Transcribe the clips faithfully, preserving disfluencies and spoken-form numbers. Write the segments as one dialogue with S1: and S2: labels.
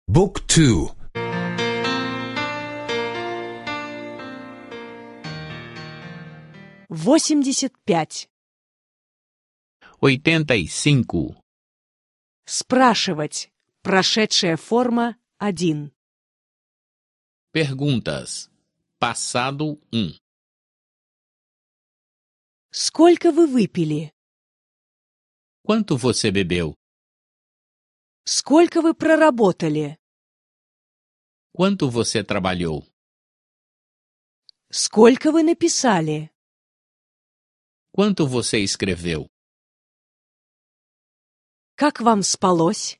S1: بوك تو.
S2: восемьдесят пять.
S3: oitenta e cinco.
S2: Спрашивать. Прошедшая форма один.
S3: Perguntas. Passado um.
S2: Сколько вы выпили?
S3: Quanto você bebeu?
S2: Сколько вы проработали?
S3: Quanto você trabalhou?
S2: Сколько вы написали?
S3: Quanto você escreveu?
S2: Как вам спалось?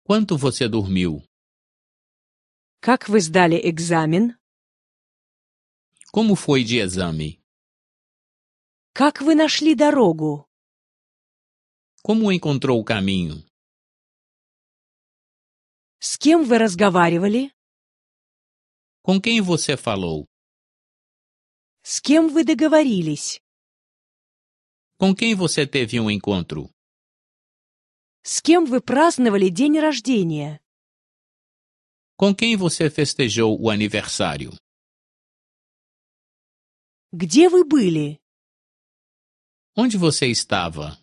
S3: Quanto você dormiu?
S2: Как вы сдали экзамен?
S3: Como foi de exame?
S2: Как вы нашли дорогу?
S3: Como encontrou o caminho?
S2: С кем вы разговаривали?
S3: Com quem você falou?
S2: С кем вы договорились?
S3: Com quem você teve um encontro?
S2: С кем вы праздновали день рождения?
S3: Com quem você festejou o aniversário?
S2: Где вы были?
S3: Onde você estava?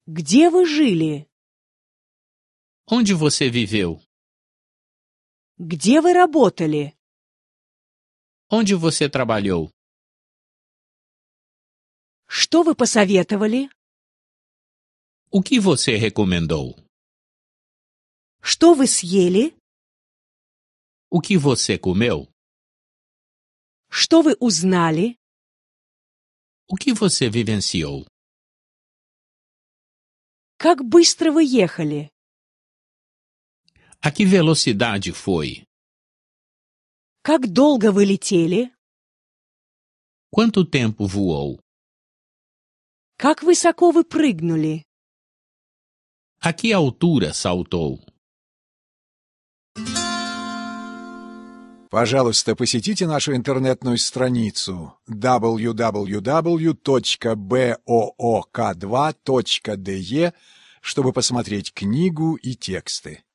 S2: Где вы жили?
S3: Onde você viveu?
S2: Где вы работали?
S3: Onde você trabalhou?
S2: Что вы посоветовали?
S3: O que você recomendou?
S2: Что вы съели?
S3: O que você comeu?
S2: Что вы узнали?
S3: O que você vivenciou?
S2: Как быстро вы ехали?
S3: A que velocidade foi?
S2: Как долго вы летели?
S3: Quanto tempo voou?
S2: Как высоко вы прыгнули?
S3: A que altura saltou?
S1: Пожалуйста, посетите нашу интернетную страницу дабл ю дабл ю дабл ю точка боок два точка де, чтобы посмотреть книгу и тексты.